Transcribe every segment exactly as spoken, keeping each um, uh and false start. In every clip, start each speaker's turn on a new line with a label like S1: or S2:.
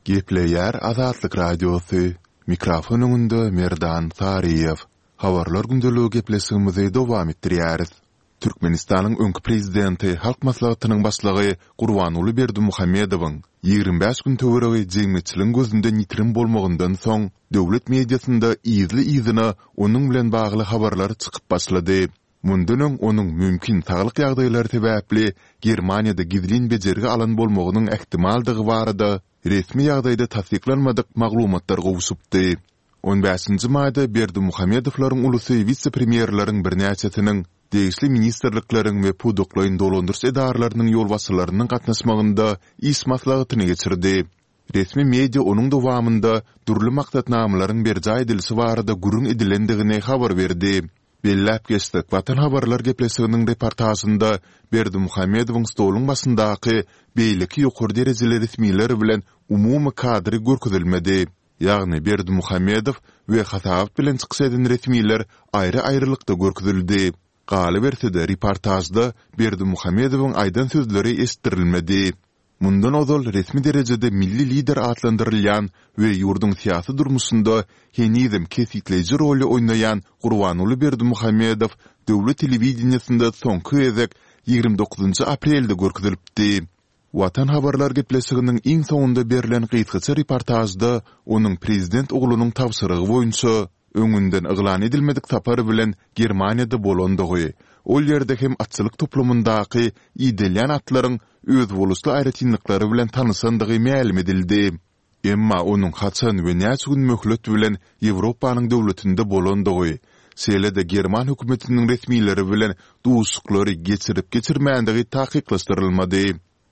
S1: Gepleýär Azatlyk Radiosy, mikrofon öňünde Merdan Saryýew. Habarlar gündeligi gepleşigimizi dowam etdirýäris. Türkmenistanyň öňki prezidenti, Halk Maslahatynyň başlygy Gurbanguly Berdimuhamedowyň ýigrimi bäş gün töweregi jemgyýetçiligiň gözünden ýitirim bolmagyndan soň, döwlet mediasynda yzly-yzyna onuň bilen bagly habarlar çykyp başlady. Mundan öň onuň mümkin saglyk ýagdaýlary sebäpli Germaniýada gizlin bejergi alan bolmagynyň ähtimaldygy barada resmi ýagdaýda tassyklanmadyk maglumatlar gowşupdy. On bäşinji maýda Berdimuhamedowlaryň ulusy wise-premýerleriň birnäçesiniň, degişli ministrlikleriň we pudaklaýyn dolandyryş edaralarynyň ýolbaşçylarynyň gatnaşmagynda iş maslahatyny geçirdi. Resmi media onuň dowamynda dürli maksatnamalaryň berjaý edilişi barada gürrüň edilendigini habar berdi. Belläp geçsek, Watan habarlar gepleşiginiň reportažynda Berdimuhamedowyň stoluň başyndaky beýleki ýokary derejeli resmiler bilen umumy kadry görkezilmedi. Ýagny Berdimuhamedow we hasabat bilen çykyş eden resmiler aýry-aýrylykda görkezildi. Galyberse-de, reportažda Berdimuhamedowyň aýdan sözleri eşitdirilmedi. Mundan ozal resmi derejede milli lider atlandyrylýan we ýurduň syýasy durmuşynda henizem kesgitleýji roly oýnaýan Gurbanguly Berdimuhamedow döwlet telewideniýesinde soňky gezek ýigrimi dokuzynjy aprelde görkezilipdi. Watan habarlar gepleşiginiň iň soňunda berlen gysgaça reportažda onuň prezident oglunyň tabşyrygy boýunça, öňünden yglan edilmedik sapar bilen Germaniýada bolandygy, ol ýerde hem atçylyk toplumyndaky idelýän atlaryň özboluşly aýratynlyklary bilen tanyşandygy mälim edildi. Emma onuň haçan we näçe gün möhlet bilen Ýewropanyň döwletinde bolandygy, şeýle-de german hökümetiniň resmileri bilen duşuşyklary geçirip-geçirmändigi takyklaşdyrylmady.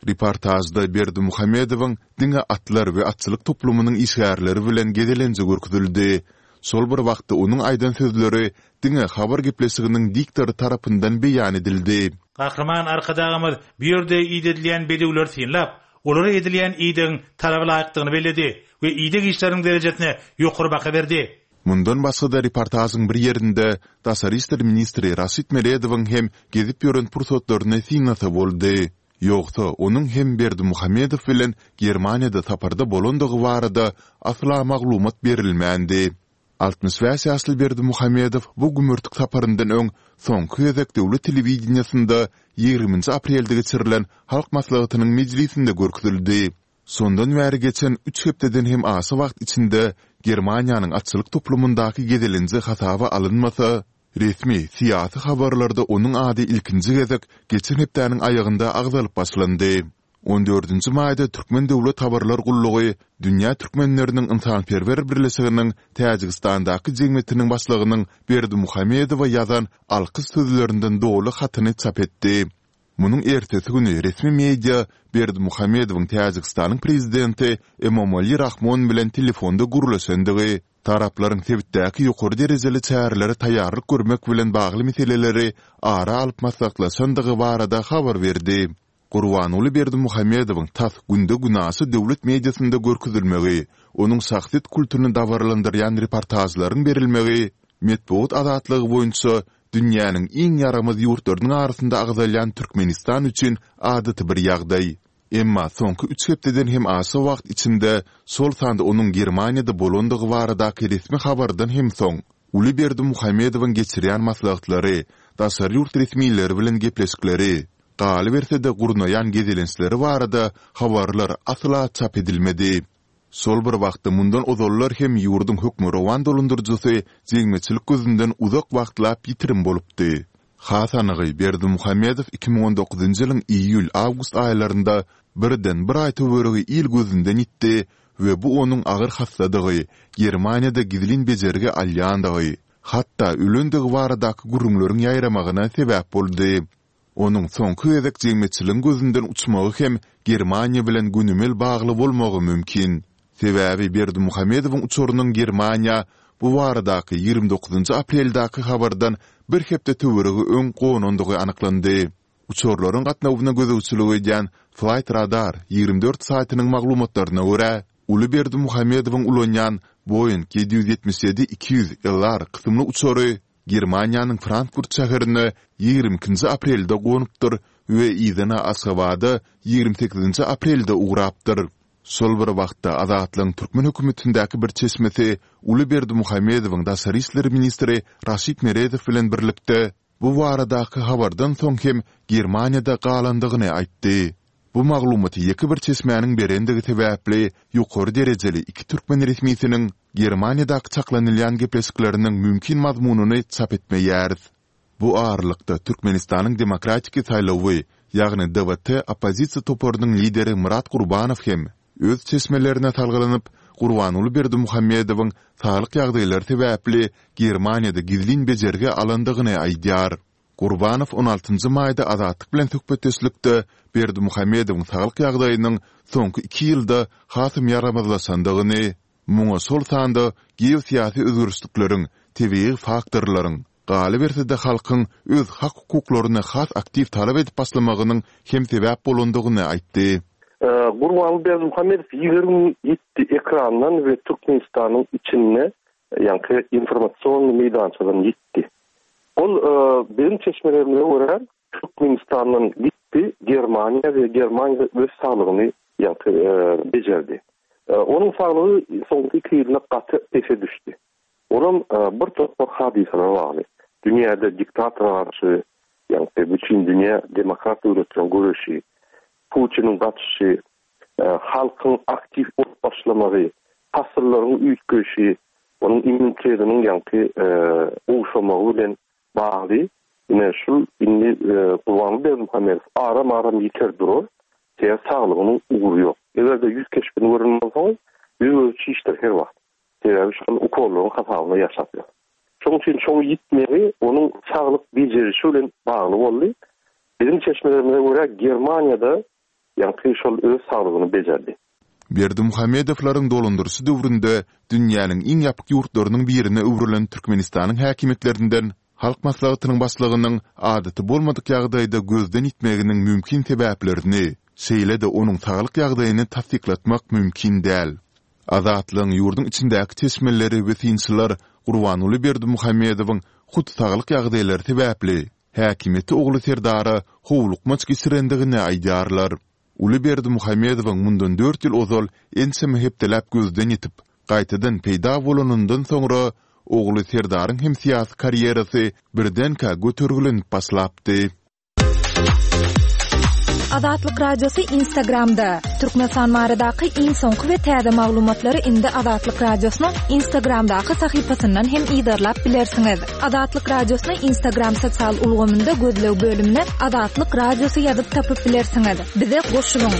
S1: Reportažda Berdimuhamedowyň diňe atlar we atçylyk toplumynyň işgärleri bilen gezelenji görkezildi. Şol bir wagtda onuň aýdan sözleri diňe habar gepleşiginiň diktory tarapyndan beýan edildi.
S2: Gahryman Arkadagymyz bu ýerde idedilýän bedewleri synlap, olara edilýän idegiň talaba laýykdygyny belledi we ideg işleriniň derejesine ýokary baha berdi.
S1: Mundan başga-da reportažyň bir ýerinde daşary işler ministri Raşid Meredowyň hem gezip ýören pursatlaryny synlasa boldy. Ýogsa, onuň hem Berdimuhamedow bilen Germaniýada saparda bolandygy barada asla maglumat berilmändi. Altmyş bäş ýaşly Berdimuhamedow bu gümürtik saparyndan öň soňky gezek döwlet telewideniýesinde ýigriminji aprelde geçirilen Halk Maslahatynyň mejlisinde görkezildi. Şondan bäri geçen üç hepdeden hem aşa wagt içinde Germaniýanyň atçylyk toplumyndaky gezelenji hasaba alynmasa, resmi syýasy habarlarda onuň ady ilkinji gezek geçen hepdäniň aýagynda agzalyp başlandy. On dördünji maýda Türkmen döwlet habarlar gullugy Dünýä türkmenleriniň ynsanperwer birleşiginiň Täjigistandaky jemgyýetiniň başlygynyň Berdimuhamedowa ýazan alkyş sözlerinden doly hatyny çap etdi. Munuň ertesi güni resmi media Berdimuhamedowyň Täjigistanyň prezidenti Emomali Rahmon bilen telefonda gürleşendigi, taraplaryň sebitdäki ýokary derejeli çärelere taýýarlyk görmek bilen bagly meseleleri ara alyp maslahatlaşandygy barada habar berdi. Gurbanguly Berdimuhamedowyň tas günde-günaşa döwlet mediasynda görkezilmegi, onuň şahsyýet kultuny dabaralandyrýan reportažlaryň berilmegi metbugat azatlygy boýunça dünýäniň iň ýaramaz ýurtlarynyň arasynda agzalýan Türkmenistan üçin adaty bir ýagdaý. Emma soňky üç hepdeden hem aşa wagt içinde, şol sanda onuň Germaniýada bolandygy baradaky resmi habardan hem soň, uly Berdimuhamedowyň geçirýän maslahatlary, daşary ýurt resmileri bilen gepleşikleri, galyberse-de gurnaýan gezelençleri barada habarlar asla çap edilmedi. Şol bir wagtda mundan ozallar hem ýurduň hökmürowan dolandyryjysy jemgyýetçilik gözünden uzak wagtlap ýitirim bolupdy. Has anygy, Berdimuhamedow iki müň on dokuzynjy ýylyň iýul-awgust aýlarynda birden bir aý töweregi il gözünden ýitdi we bu onuň agyr hassadygy, Germaniýada gizlin bejergi alýandygy, hatda ölendigi baradaky gürrüňleriň ýaýramagyna sebäp boldy. Onuň soňky gezek jemgyýetçiligiň gözünden uçmagy hem Germaniýa bilen gönümel bagly bolmagy mümkin. Sebäbi Berdimuhamedowyň uçarynyň Germaniýa bu baradaky ýigrimi dokuzynjy apreldäki habardan bir hepde töweregi öň gonandygy anyklandy. Uçarlaryň gatnawyna gözegçilik edýän Flightradar ýigrimi dört saýtynyň maglumatlaryna görä, uly Berdimuhamedowyň ulanýan Boeing ýedi ýüz ýetmiş ýedi iki ýüz LR kysymly uçary Germaniýanyň Frankfurt şäherine ýigrimi ikinji aprelde gonupdyr we yzyna Aşgabada ýigrimi sekizinji aprelde ugrapdyr. Şol bir wagtda, Azatlygyň türkmen hökümetindäki bir çeşmesi uly Berdimuhamedowyň daşary işler ministri Raşid Meredow bilen birlikde bu baradaky habardan soň hem Germaniýada galandygyny aýtdy. Bu maglumaty ýeke bir çeşmäniň berendigi sebäpli, ýokary derejeli iki türkmen resmisiniň Germaniýadaky çaklanylýan gepleşikleriniň mümkin mazmunyny çap etmeýäris. Bu aralykda, Türkmenistanyň Demokratiki saýlawy, ýagny D W T oppozisiýa toparynyň lideri Myrat Gurbanow hem öz çeşmelerine salgylanyp, Gurbanguly Berdimuhamedowyň saglyk ýagdaýlary sebäpli Germaniýada gizlin bejergi alandygyny aýdýar. Gurbanow on altynjy maýda Azatlyk bilen söhbetdeşlikde Berdimuhamedowyň saglyk ýagdaýynyň soňky iki ýylda hasam ýaramazlaşandygyny, muňa şol sanda geosyýasy özgerişlikleriň, tebigy faktorlaryň, galyberse-de halkyň öz hak-hukuklaryny has aktiw talap edip başlamagynyň hem sebäp bolandygyny aýtdy.
S3: Gurbanguly Berdimuhamedow ýigrimi ýetdi ekrandan we Türkmenistanyň içinde, ýaňky informasion meýdançadan ýitdi. Ol biziň çeşmelerimize görä Türkmenistandan gitdi Germaniýa we Germaniýada öz saglygyny ýaňky bejerdi. Onuň saglygy soňky iki ýylda gaty pese düşdi. Olam bir topar hadysalara bagly. Dünýäde diktatora garşy, ýaňky bütün dünýä demokrat döwletleriň göreşi, Putiniň gaçyşy, halkyň aktiw bolup başlamagy, pasyllaryň üýtgeýşi, onuň immunitetiniň ýaňky gowşamagy bilen bagly. Ine şul indi Gurbanguly Berdimuhamedow aram-aram ýiter durar, sebäbi saglygynyň ugry ýok. Eger-de ýüz keşbini gören bolsaňyz, ýüz gözi çişdir her wagt. Sebäbi şol ukollaryň hasabyna ýaşap ýör. Şonuň üçin şoň ýitmegi onuň saglyk bejerişi bilen bagly boldy. Biziň çeşmelerimize görä Germaniýada ýaňky şol öz saglygyny bejerdi.
S1: Berdimuhamedowlaryň dolandyryşy döwründe dünýäniň iň ýapyk ýurtlarynyň birine öwrülen Türkmenistanyň häkimiýetlerinden Halk Maslahatynyň başlygynyň adaty bolmadyk ýagdaýda gözden ýitmeginiň mümkin sebäplerini, şeýle-de onuň saglyk ýagdaýyny tassyklatmak mümkin däl. Azatlygyň ýurduň içindäki çeşmeleri we synçylar Gurbanguly Berdimuhamedowyň hut saglyk ýagdaýlary sebäpli häkimiýeti ogly Serdara howlukmaç geçirendigini aýdýarlar. Uly Berdimuhamedowyň mundan dört ýyl ozal ençeme hepdeläp gözden ýitip, gaýtadan peýda bolanyndan soňra ogly Serdaryň hem syýasy karýerasy birdenkä götergilenip başlapdy.
S4: Azatlyk Radiosy Instagramda. Türkmenistan baradaky iň soňky we täze maglumatlary indi Azatlyk Radiosynyň Instagramdaky sahypasyndan hem yzarlap bilersiňiz. Azatlyk Radiosyny Instagram sosial ulgamynda gözleg bölümine Azatlyk Radiosy ýazyp tapyp bilersiňiz. Bize goşulyň.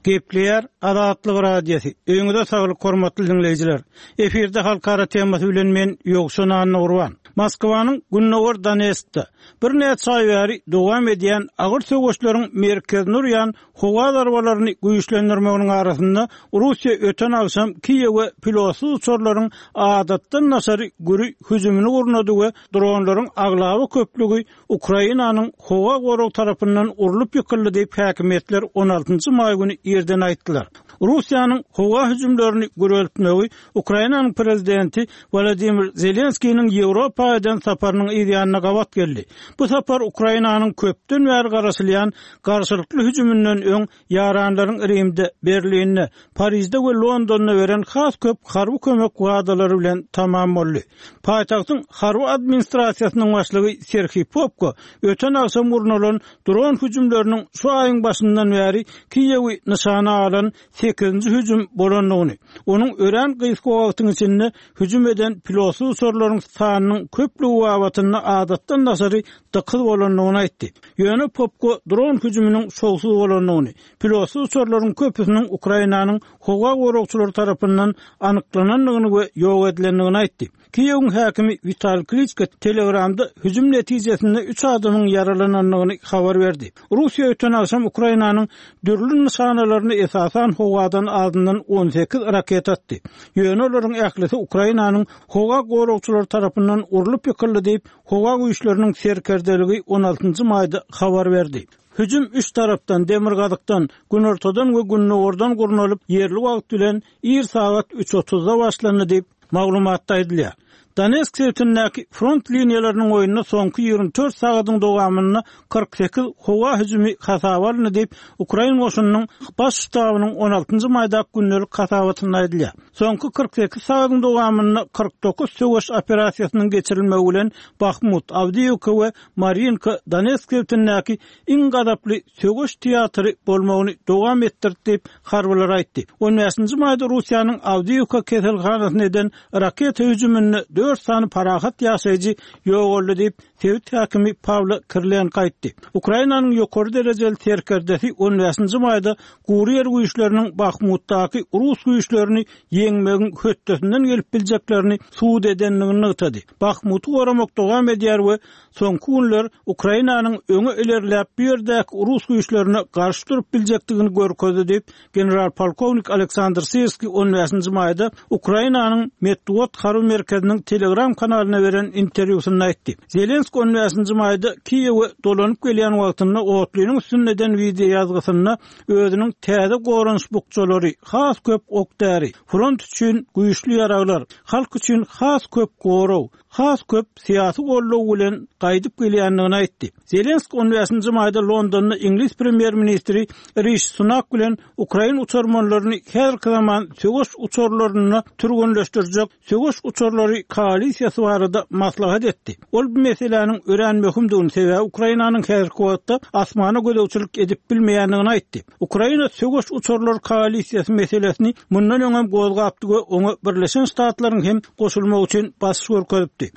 S5: Gepleýär Azatlyk Radiosy. Öýüňize saglyk hormatly dinleýjiler. Efirde halkara temasy bilen men Ýowşan Annagurban. Moskwanyň Gündogar Donetskde birnäçe aý bäri dowam edýän agyr söweşleriň merkezini urýan howa zarbalaryny güýçlendirmeginiň arasynda Russiýa öten agşam Kiýewe pilotsyz uçarlaryň adatdan daşary güri hüjümini gurnady we dronlaryň aglaba köplügi Ukrainanyň howa gorag tarapyndan urlup ýykyldy diýip häkimiýetler on altynjy maý güni ýerden aýtdylar. Russiýanyň howa hüjümlerini güreltmegi Ukrainanyň prezidenti Wladimir Zelenskiniň Ýewropa eden saparynyň ýanyna gabat geldi. Bu sapar Ukrainanyň köpden bäri garaşylýan garşylykly hüjüminden öň ýaranlaryň Rimde, Berlinde, Parizde we Londonda beren has köp harby kömek wadalary bilen tamam boldy. Paýtagtyň harby administrasiýasynyň başlygy Serhiý Popko öten agşam gurnalan dron hüjümleriniň şu aýyň başyndan bäri Kiýewi nyşana alan sekizinji hüjüm bolandygyny, onuň örän gysga wagtyň içinde hüjüm eden pilotsyz uçarlaryň sanynyň köplügi babatynda adatdan daşary dykyz bolandygyny aýtdy. Ýöne Popko dron hüjüminiň şowsuz bolandygyny, pilotsyz uçarlaryň köpüsiniň Ukrainanyň howa goragçylary tarapyndan anyklanandygyny we ýok edilendigini aýtdy. Kiýewiň häkimi Wital Kliçko Telegramda hüjüm netijesinde üç adamyň ýaralanandygyny habar berdi. Russiýa öten agşam Ukrainanyň dürli nyşanalaryny esasan howadan azyndan on sekiz raket atdy. Ýöne olaryň ählisi Ukrainanyň howa goragçylary tarapyndan urlup ýykyldy diýip, howa güýçleriniň serkerdeligi on altynjy maýda habar berdi. Hüjüm üç tarapdan, Demirgazykdan, Günortadan we Gündogardan gurnalyp, ýerli wagt bilen ir sagat üç otuzda başlandy diýip, maglumatda aýdylýar. Donetsk sebitindäki front liniýalarynyň boýunda soňky ýigrimi dört sagadyň dowamynda kyrk sekiz howa hüjümi hasaba alyndy diýip, Ukrain goşunynyň baş ştabynyň on altynjy maýdaky gündelik hasabatynda aýdylýar. Soňky kyrk sekiz sagadyň dowamynda kyrk dokuz söweş operasiýasynyň geçirilmegi bilen Bahmut, Awdiýewka we Marinka Donetsk sebitindäki iň gazaply söweş teatry bolmagyny dowam etdirdi diýip, harbylar aýtdy. On bäşinji maýda Russiýanyň Awdiýewka keselhanasyna eden raketa hüjüminde dört sany parahat ýaşaýjy ýogaldy diýip, sebit häkimi Pawlo Kirilenko aýtdy. Ukrainanyň ýokary derejeli serkerdesi on bäşinji maýda gury ýer güýçleriniň Bahmutdaky rus güýçlerini ýeňmegiň hötdesinden gelip biljeklerini subut edendigini nygtady. Bahmuty goramak dowam edýär we soňky günler Ukrainanyň öňe ilerläp bu ýerdäki rus güýçlerine garşy durup biljekdigini görkezdi diýip, general polkownik Aleksandr Sirski on bäşinji maýda Ukrainanyň Metbugat harby merkeziniň Telegram kanalyna beren interwýusynda aýtdy. Zelenski on bäşinji maýda Kiýewe dolanyp gelýän wagtynda otlynyň üstünde eden wideo ýazgysynda özüniň täze goranyş bukjalary, has köp ok-däri, front üçin güýçli ýaraglar, halk üçin has köp goraw, has köp syýasy goldaw bilen gaýdyp gelýändigini aýtdy. Zelenski on bäşinji maýda Londonda Iňlis premýer-ministri Rishi Sunak bilen Ukrain uçarmanlaryny häzirki zaman söweş uçarlarynda türgenleşdirjek söweş uçarlary koalisiýasy barada maslahat etdi. Ol bu meseläniň örän möhümdigini, sebäbi Ukrainanyň häzirki wagtda asmana gözegçilik edip bilmeýändigini aýtdy. Ukraina söweş uçarlary koalisiýasy meselesini mundan öňem gozgapdy we oňa Birleşen Ştatlaryň hem goşulmagy üçin basyş görkezipdi.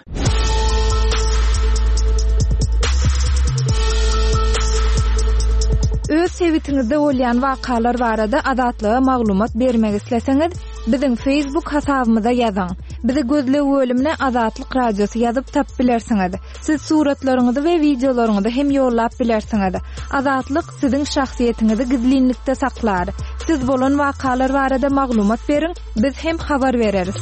S4: Öz sebitiňizde bolýan wakalar barada Azatlyga maglumat bermek isleseňiz, biziň Facebook hasabymyza ýazyň. Bizi gözleg bölümine Azatlyk Radiosy ýazyp tap bilersiňiz. Siz suratlaryňyzy we wideolaryňyzy hem ýollap bilersiňiz. Azatlyk siziň şahsyýetiňizi gizlinlikde saklar. Siz bolan wakalar barada maglumat beriň, biz hem habar bereris.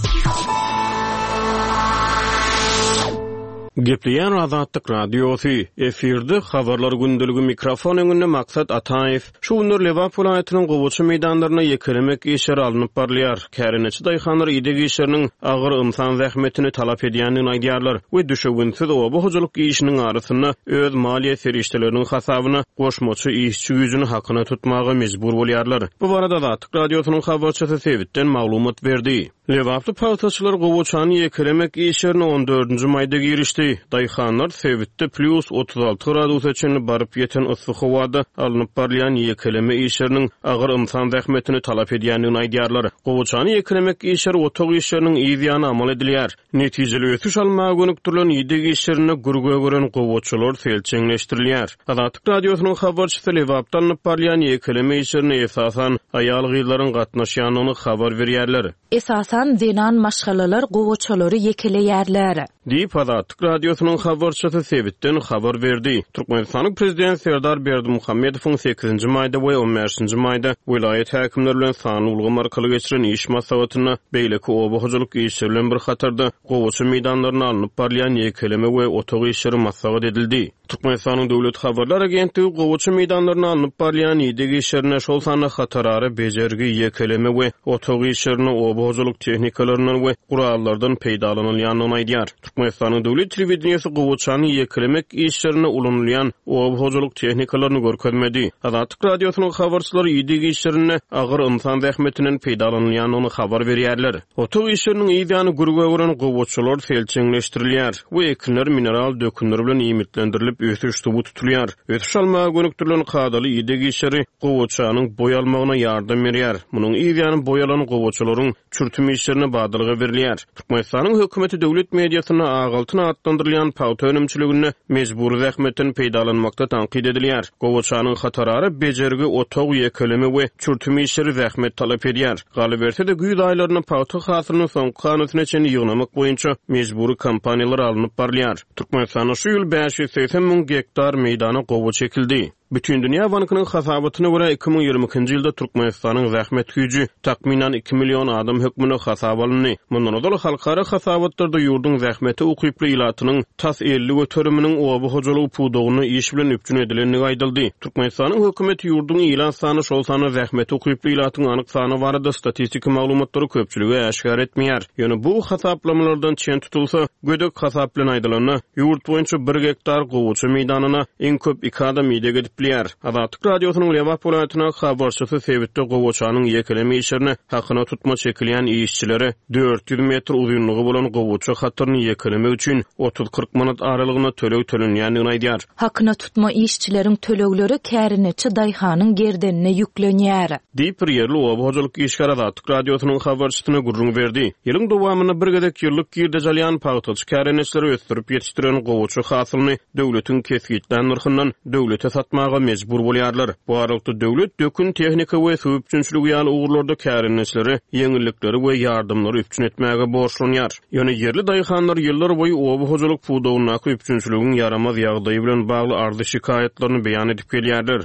S6: Gepleýän Azatlyk Radiosy, efirde habarlar gündeligi mikrofon öňünde Maksat Ataýew. Şu günler Lebap welaýatynyň gowaça meýdanlaryna ýekelemek işleri alnyp barylýar. Kärendeçi daýhanlar ideg işleriniň agyr ynsan zähmetini talap edýändigini aýdýarlar we düşewünsiz oba hojalyk işiniň arasynda öz maliýe serişdeleriniň hasabyna goşmaça işçi güýjüni hakyna tutmaga mejbur bolýarlar. Bu barada Azatlyk Radiosynyň habarçysy sebitden maglumat berdi. Lebaply pagtaçylar gowaçany ýekelemek işlerine on dördünji maýda girişdi. Daýhanlar sebitde plus otuz alty gradusa çenli baryp ýeten yssy howada alnyp barylýan ýekeleme işleriniň agyr ynsan zähmetini talap edýändigini aýdýarlar. Gowaçany ýekelemek işleri otag işleriniň yz ýany amal edilýär. Netijeli ösüş almaga gönükdirilen ideg işlerinde gürge gören gowaçalar selçeňleşdirilýär. Azatlyk Radiosynyň habarçysy Lebapda alnyp barylýan ýekeleme işlerine esasan aýal-gyzlaryň gatnaşýandygyny habar berýärler.
S7: Esasan zenan maşgalalar gowaçalary ýekeleýärler.
S6: Diýip Azatlyk Radiosynyň habarçysy sebitden habar berdi. Türkmenistanyň Prezidenti Serdar Berdimuhamedowyň sekizinji maýda we on bäşinji maýda welaýat häkimleri bilen sanly ulgam arkaly geçiren iş maslahatynda beýleki oba hojalyk işleri bilen bir hatarda gowaça meýdanlaryna alnyp barylýan ýekeleme we otag işleri maslahat edildi. Türkmenistanyň Döwlet Habarlar Agentligi gowaça meýdanlaryna alnyp barylýan ideg işlerine, şol sanda hatarara bejergi, ýekeleme we otag işlerine oba hojalyk tehnikalaryndan we gurallardan peýdalanylýandygyny aýdýar. Türkmenistanyň Döwlet telewideniýesi gowaçany ýekelemek işlerine ulanylýan oba hojalyk tehnikalaryny görkezmedi. Azatlyk Radiosynyň habarçylary ideg işlerinde agyr ynsan zähmetinden peýdalanylýandygyny habar berýärler. Otag işleriniň yz ýany gürge gören gowaçalar selçeňleşdirilýär we ekinler mineral dökünler bilen iýmitlendirilip ösüş suwy tutulýar. Ösüş almaga gönükdirilen kadaly ideg işleri gowaçanyň boý almagyna ýardam berýär. Munuň yz ýany boý alan gowaçalaryň çürtüm işlerine badalga berilýär. Türkmenistanyň hökümeti döwlet mediasynda ak altyn atlandyrylýan pagta önümçiliginde mejbury zähmetden peýdalanmakda tankyt edilýär. Gowaçanyň hatarara bejergi, otag, ýekeleme we çürtüm işleri zähmet talap edýär. Galyberse-de güýz aýlarynda pagta hasylyny soňky hanasyna çenli ýygnamak boýunça mejbury kampaniýalar alnyp barylýar. Türkmenistanda şu ýyl bäş ýüz segsen müň gektar meýdana gowaça ekildi. Bütindünýä bankynyň hasabatyna görä iki müň ýigrimi ikinji ýylda Türkmenistanyň zähmet güýji takmynan iki million adam hökmünde hasaba alyndy. Mundan ozal halkara hasabatlarda ýurduň zähmete ukyply ilatynyň tas elli göteriminiň oba hojalygy pudagynda iş bilen üpjün edilendigi aýdyldy. Türkmenistanyň hökümeti ýurduň ilat sany, şol sanda zähmete ukyply ilatyň anyk sany barada statistiki maglumatlary köpçülige äşgär etmeýär. Ýöne bu hasaplamalardan çen tutulsa, gödek hasap bilen aýdylanda, ýurt boýunça bir gektar gowaça meýdanyna iň köp iki adam ideg edip bilýär. Azatlyk Radiosynyň Lebap welaýatyna habarçysy sebitde gowaçanyň ýekeleme işlerine hakyna tutma çekilýän işçilere dört ýüz metr uzynlygy bolan gowaça hataryny ýekelemek üçin otuz kyrk manat aralygynda töleg tölenýändigini aýdýar.
S7: Hakyna tutma işçileriň tölegleri kärineçi daýhanyň gerdenine ýüklenýär.
S6: Diýip bir ýerli oba hojalyk işgäri Azatlyk Radiosynyň habarçysyna gürrüň berdi. Ýylyň dowamynda bir gezek ýyllyk girdeji alýan pagtaçy kärineçileri ösdürip ýetişdiren gowaça hasylyny döwletiň kesgitlän nyrhyndan döwlete satmaga mejbur bolýarlar. Bu aralykda döwlet dökün tehnika we suw üpjünçiligi ýaly ugurlarda kärineçilere ýeňillikleri we ýardamlary üpjün etmäge borçlanýar. Ýöne ýerli daýhanlar ýyllar boýy oba hojalyk pudagyndaky üpjünçiligiň ýaramaz ýagdaýy bilen bagly arzy şikaýatlaryny beýan edip gelýärler.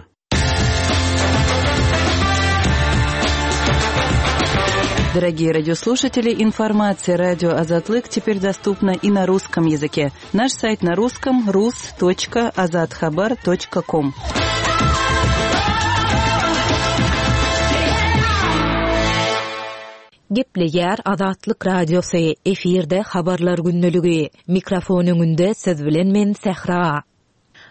S8: Дорогие радиослушатели, информация радио Азатлык теперь доступна и на русском языке. Наш сайт на русском рус точка азатхабар точка ком.
S7: Gepleýär Azatlyk Radiosy, efirde habarlar günlügi. Mikrofon öňünde siz bilen men Sähra.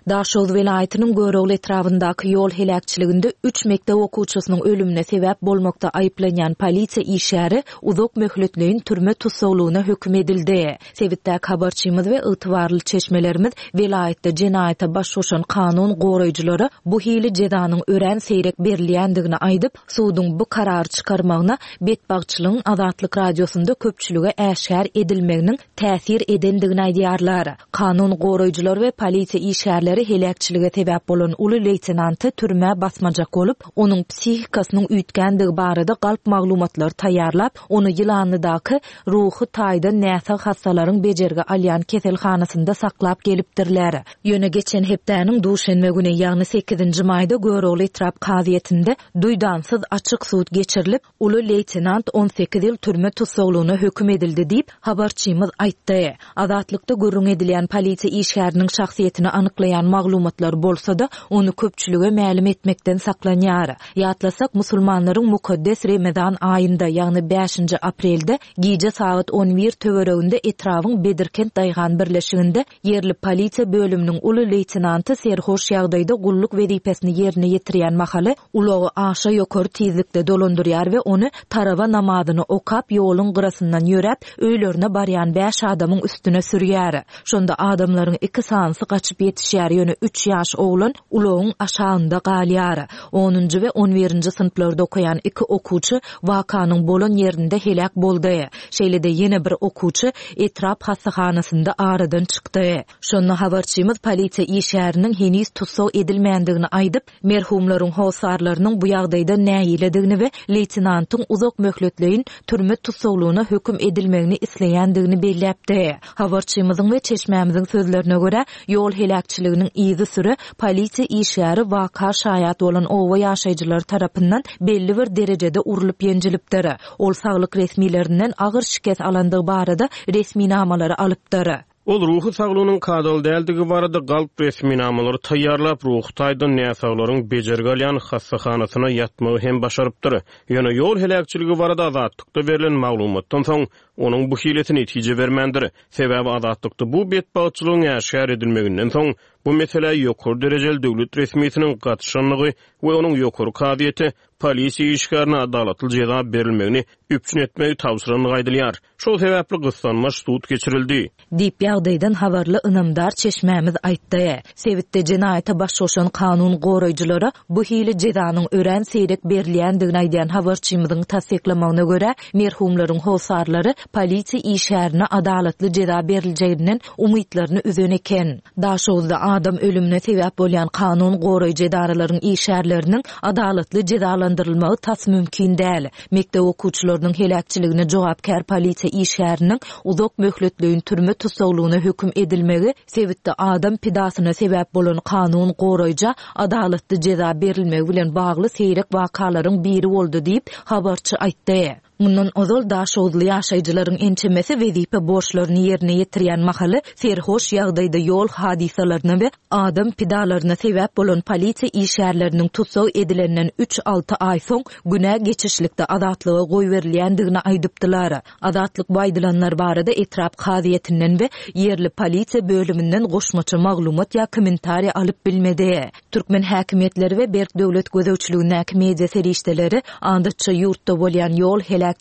S7: Daşoguz welaýatynyň Görogly etrabyndaky ýol heläkçiliginde üç mekdep okuwçysynyň ölümine sebäp bolmakda aýyplanýan polisiýa işgäri uzak möhletleýin türme tussaglygyna höküm edildi. Sebitdäki habarçymyz we ygtybarly çeşmelerimiz welaýatda jenaýata baş goşan kanun goraýjylara bu hili jezanyň örän seýrek berilýändigini aýdyp, suduň bu karary çykarmagyna betbagtçylygyň Azatlyk Radiosynda köpçülige äşgär edilmeginiň täsir edendigini aýdýarlar. Kanun goraýjylar we polisiýa işgärleri heläkçilige sebäp bolan uly leýtenanty türmä basmajak bolup, onuň psihikasynyň üýtgändigi barada galp maglumatlar taýýarlap, ony ýylanlydaky ruhy taýdan näsag hassalaryň bejergi alýan keselhanasynda saklap gelipdirler. Ýöne geçen hepdäniň duşenbe güni, ýagny sekizinji maýda Görogly etrap kazyýetinde duýdansyz açyk sud geçirilip, uly leýtenant on sekiz ýyl türme tussaglygyna höküm edildi diýip habarçymyz aýtdy. Azatlykda gürrüň edilýän polisiýa işgäriniň şahsyýetini anyklaýan maglumatlar bolsa-da, ony köpçülige mälim etmekden saklanýar. Ýatlasak, musulmanlaryň mukaddes Ramazan aýynda, ýagny bäşinji aprelde gije sagat on bir töwereginde etrabyň Bedirkent daýhan birleşiginde ýerli polisiýa bölüminiň uly leýtenanty serhoş ýagdaýda gulluk wezipesini ýerine ýetirýän mahaly ulagy aşa ýokary tizlikde dolandyrýar we ony taraba namazyny okap ýoluň gyrasyndan ýöräp öýlerine barýan bäş adamyň üstüne sürýär. Şonda adamlaryň iki sanysy gaçyp ýetişýär, ýöne üç ýaş oglan ulagyň aşagynda galýar. Onunjy we on birinji synplarda okaýan iki okuwçy wakanyň bolan ýerinde heläk boldy. Şeýle-de ýene bir okuwçy etrap hassahanasynda aradan çykdy. Şonda habarçymyz polisiýa işgäriniň heniz tussag edilmändigini aýdyp, merhumlaryň hosarlarynyň bu ýagdaýda nägiledigini we leýtenantyň uzak möhletleýin türme tussaglygyna höküm edilmegini isleýändigini belläpdi. Habarçymyzyň we çeşmämiziň sözlerine görä, ýol heläkçiliginiň yzy süre polisiýa işgäri waka şaýat bolan oba ýaşaýjylary tarapyndan belli bir derejede urulyp ýenjilipdir. Ol saglyk resmilerinden agyr şikes alandygy barada resminamalary alypdyr.
S6: Ol ruhy saglygynyň kadaly däldigi barada galp resminamalary taýýarlap, ruhy taýdan näsaglaryň bejergi alýan hassahanasyna ýatmagy hem başarypdyr. Ýöne ýol heläkçiligi barada Azatlykda berlen maglumatdan soň onuň bu hilesi netije bermändir. Sebäbi Azatlykda bu betbagtçylygyň äşgär edilmeginden soň bu meselä ýokary derejeli döwlet resmisiniň gatyşanlygy we onuň ýokary kazyýete polisiýa işgärine adalatly jeza berilmegini üpjün etmegi tabşyranlygy aýdylýar. Şol sebäpli gyssanmaç sud geçirildi.
S7: Diýip ýagdaýdan habarly ynamdar çeşmämiz aýtdy. Sebitde jenaýata baş goşan kanun goraýjylara bu hili jezanyň örän seýrek berilýändigini aýdýan habarçymyzyň tassyklamagyna görä, merhumlaryň hosarlary polisiýa işgärine adalatly jeza beriljeginden umytlaryny üzen eken. Daşoguzda adam ölümine sebäp bolýan kanun goraýjy edaralaryň işgärleriniň adalatly jezalandyrylmagy tas mümkin däl. Mekdep okuwçylarynyň heläkçiligine jogapkär polisiýa işgäriniň uzak möhletleýin türme tussaglygyna höküm edilmegi sebitde adam pidasyna sebäp bolan kanun goraýja adalatly jeza berilmegi bilen bagly seýrek wakalaryň biri boldy diýip habarçy aýtdy. Mundan ozal Daşoguzly ýaşaýjylaryň ençemesi wezipe borçlaryny ýerine ýetirýän mahaly serhoş ýagdaýda ýol hadysalaryna we adam pidalaryna sebäp bolan polisiýa işgärleriniň tussag edilenden üç alty aý soň günä geçişlikde azatlyga goýberilýändigini aýdypdylar. Azatlyk bu aýdylanlar barada etrap kazyýetinden we ýerli polisiýa bölüminden goşmaça maglumat ýa kommentariýa alyp bilmedi. Türkmen häkimiýetleri we berk döwlet gözegçiligindäki media serişdeleri adatça ýurtda bolýan ýol heläkçilikleri,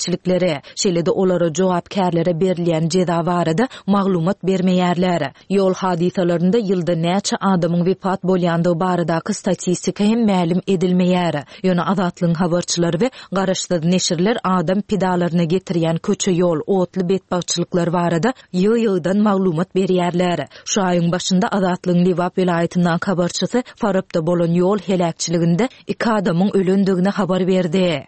S7: şeýle-de olara jogapkärlere berilýän jeza barada maglumat bermeýärler. Ýol hadysalarynda ýylda näçe adamyň wepat bolýandygy baradaky statistika hem mälim edilmeýär. Ýöne Azatlygyň habarçylary we garaşsyz neşirler adam pidalaryna getirýän köçe ýol, otly betbagtçylyklar barada ýygy-ýygydan maglumat berýärler. Şu aýyň başynda Azatlygyň Lebap welaýatyndan habarçysy Farapda bolan ýol heläkçiliginde iki adamyň ölendigini habar berdi.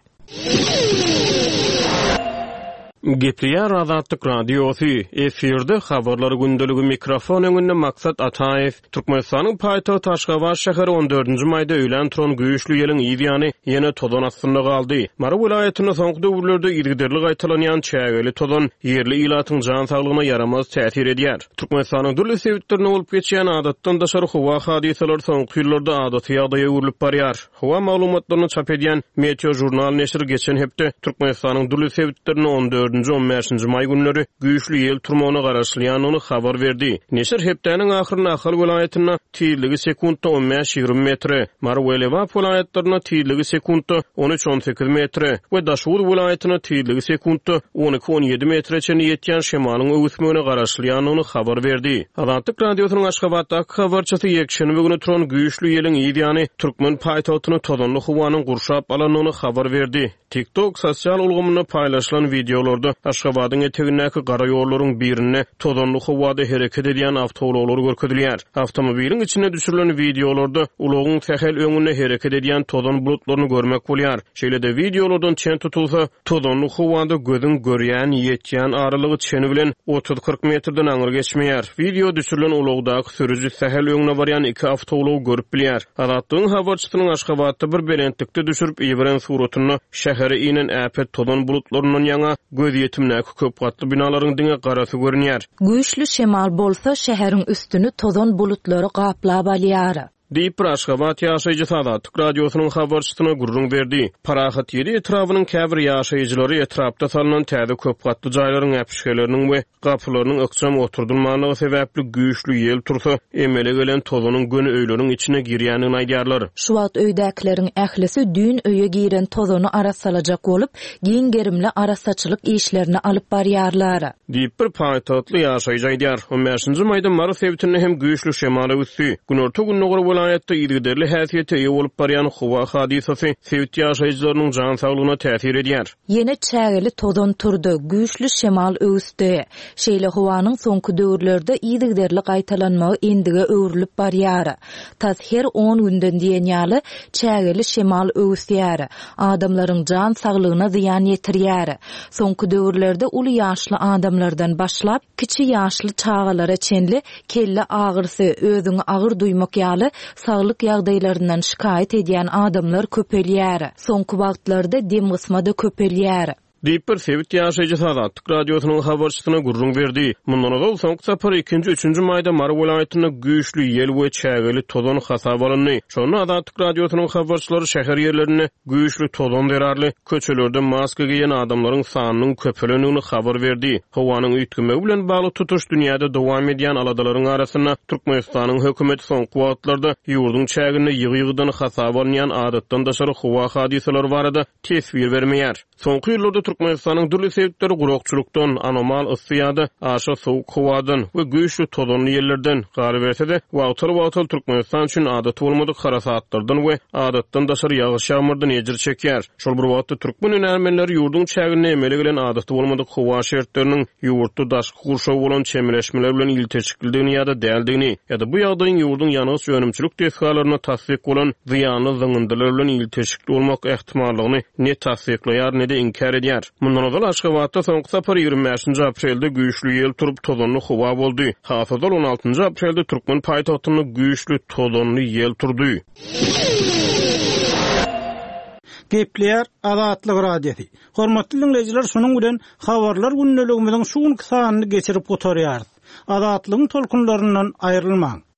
S6: Gepleýär Azatlyk Radiosy, efirde habarlar gündeligi, mikrofon öňünde Maksat Ataýew. Türkmenistanyň paýtagty Aşgabat şäheri on dördünji maýda öýlän turan güýçli ýeliň yz ýany ýene tozan astynda galdy. Mary welaýatynda soňky döwürlerde yzygiderli gaýtalanýan çägeli tozan ýerli ilatyň jan saglygyna ýaramaz täsir edýär. Türkmenistanyň dürli sebitlerinde bolup geçýän adatdan daşary howa hadysalary soňky ýyllarda adaty ýagdaýa öwrülip barýar. Howa maglumatlaryny çap edýän Meteo Jurnal neşiri geçen hepde Türkmenistanyň dürli sebitlerinde on dördünji on bäşinji maý günleri güýçli ýel turmagyna garaşylýandygyny habar berdi. Neşir hepdäniň ahyrynda Ahal welaýatynda tizligi sekuntda on bäş ýigrimi metre, Mary we Lebap welaýatlarynda tizligi sekuntda on üç on sekiz metre we Daşoguz welaýatynda tizligi sekuntda on iki on ýedi metre çenli ýetýän şemalyň öwüsmegine garaşylýandygyny habar berdi. Azatlyk Radiosynyň Aşgabatdaky habarçysy ýekşenbe güni turan güýçli ýeliň yz ýany türkmen paýtagtyny tozanly howanyň gurşap alandygyny habar berdi. TikTok sosial ulgamynda paýlaşylan wideolarda Aşgabadyň etegindäki gara ýollaryň birinde tozanly howada hereket edýän awtoulaglar görkezilýär. Awtomobiliň içinde düşürilen wideolarda ulagyň sähel öňünde hereket edýän tozan bulutlaryny görmek bolýar. Şeýle-de wideolardan çen tutulsa, tozanly howada gözüň görýän, ýetýän aralygy çeni bilen otuz kyrk metrden aňry geçmeýär. Wideo düşürilen ulagdaky sürüji sähel öňüne barýan iki awtoulagy görüp bilýär. Azatlygyň habarçysynyň Aşgabatda bir belentlikde düşürip iberen suratynda şähere inen äpet tozan bulutlaryndan ýaňa göz ýetimdäki köp gatly binalaryň diňe garasy görünýär.
S7: Güýçli şemal bolsa şäheriň üstüni tozan bulutlary gaplap alýar.
S6: Diýip bir Aşgabat ýaşaýjysy Azatlyk Radiosynyň habarçysyna gürrüň berdi. Parahat ýedi etrabynyň käbir ýaşaýjylary etrapda salynan täze köp gatly jaýlaryň äpişgeleriniň we gapylarynyň ykjam oturdylmanlygy sebäpli güýçli ýel tursa, emele gelen tozanyň göni öýleriň içine girýändigini aýdýarlar.
S7: Şu wagt öýdäkileriň ählisi düýn öýe giren tozany arassalajak bolup, giň gerimli arassaçylyk işlerini alyp barýarlar.
S6: Diýip bir paýtagtly ýaşaýjy aýdýar. on bäşinji maýda Mary sebitinde hem güýçli şemal öwüsdi. Günorta gündogar welaýatda yzygiderli häsiýete eýe bolup barýan howa hadysasy sebit ýaşaýjylarynyň jan saglygyna täsir edýär.
S7: Ýene çägeli tozan turdy, güýçli şemal öwüsdi. Şeýle howanyň soňky döwürlerde yzygiderli gaýtalanmagy endige öwrülip barýar. Tas her on günden diýen ýaly çägeli şemal öwüsýär. Adamlaryň jan saglygyna zyýan ýetirýär. Soňky döwürlerde uly ýaşly adamlardan başlap kiçi ýaşly çagalara çenli kelle agyrysy, özüňi agyr duýmak ýaly saglyk ýagdaýlaryndan şikaýat edýän adamlar köpelýär. Soňky wagtlarda dem gysma da köpelýär.
S6: Diýip bir sebit ýaşaýjysy Azatlyk Radiosynyň habarçysyna gürrüň berdi. Mundan ozal soňky sapar ikinji, üçünji maýda Mary welaýatynda güýçli ýel we çägeli tozan hasap alyndy. Şonda Azatlyk Radiosynyň habarçylary şäher ýerlerinde güýçli tozan zerarly köçelerde maska giýen adamlaryň sanynyň köpelendigini habar berdi. Howanyň üýtgemegi bilen bagly tutuş dünýäde dowam edýän aladalaryň arasynda Türkmenistanyň hökümeti soňky wagtlarda ýurduň çäginde ýygy-ýygydan hasap alynýan adatdan daşary howa hadysalary barada teswir bermeýär. Soňky ýyllarda Türkmenistanyň dürli sebitleri gurakçylykdan, anomal yssy ýa-da aşa sowuk howadan we güýçli tozanly ýellerden, galyberse-de, wagtal-wagtal Türkmenistan üçin adaty bolmadyk harasatlardan we adatdan daşary ýagyş-ýagmyrdan ejir çekýär. Şol bir wagtda, türkmen hünärmenleri ýurduň çäginde emele gelen adaty bolmadyk howa şertleriniň ýurtda daşky gurşawa bolan çemeleşmeler bilen ilteşiklidigini ýa-da däldigini, ýa-da bu ýagdaýyň ýurduň ýangyç önümçilik desgalarynda tassyk bolan zyýanly zyňyndylar bilen ilteşikli bolmak ähtimallygyny ne tassyklaýar, ne-de inkär edýär. Mundan ozal Aşgabatda soňky sapar ýigrimi bäşinji aprelde güýçli ýel turup, tozanly howa boldy. Has ozal on altynjy aprelde türkmen paýtagtynda güýçli tozanly ýel turdy.
S5: Gepleýär Azatlyk Radiosy. Hormatly dinleýjiler, şunuň bilen habarlar gündeligimiziň şu günki sanyny geçirip gutarýarys. Azatlygyň tolkunlaryndan aýrylmaň.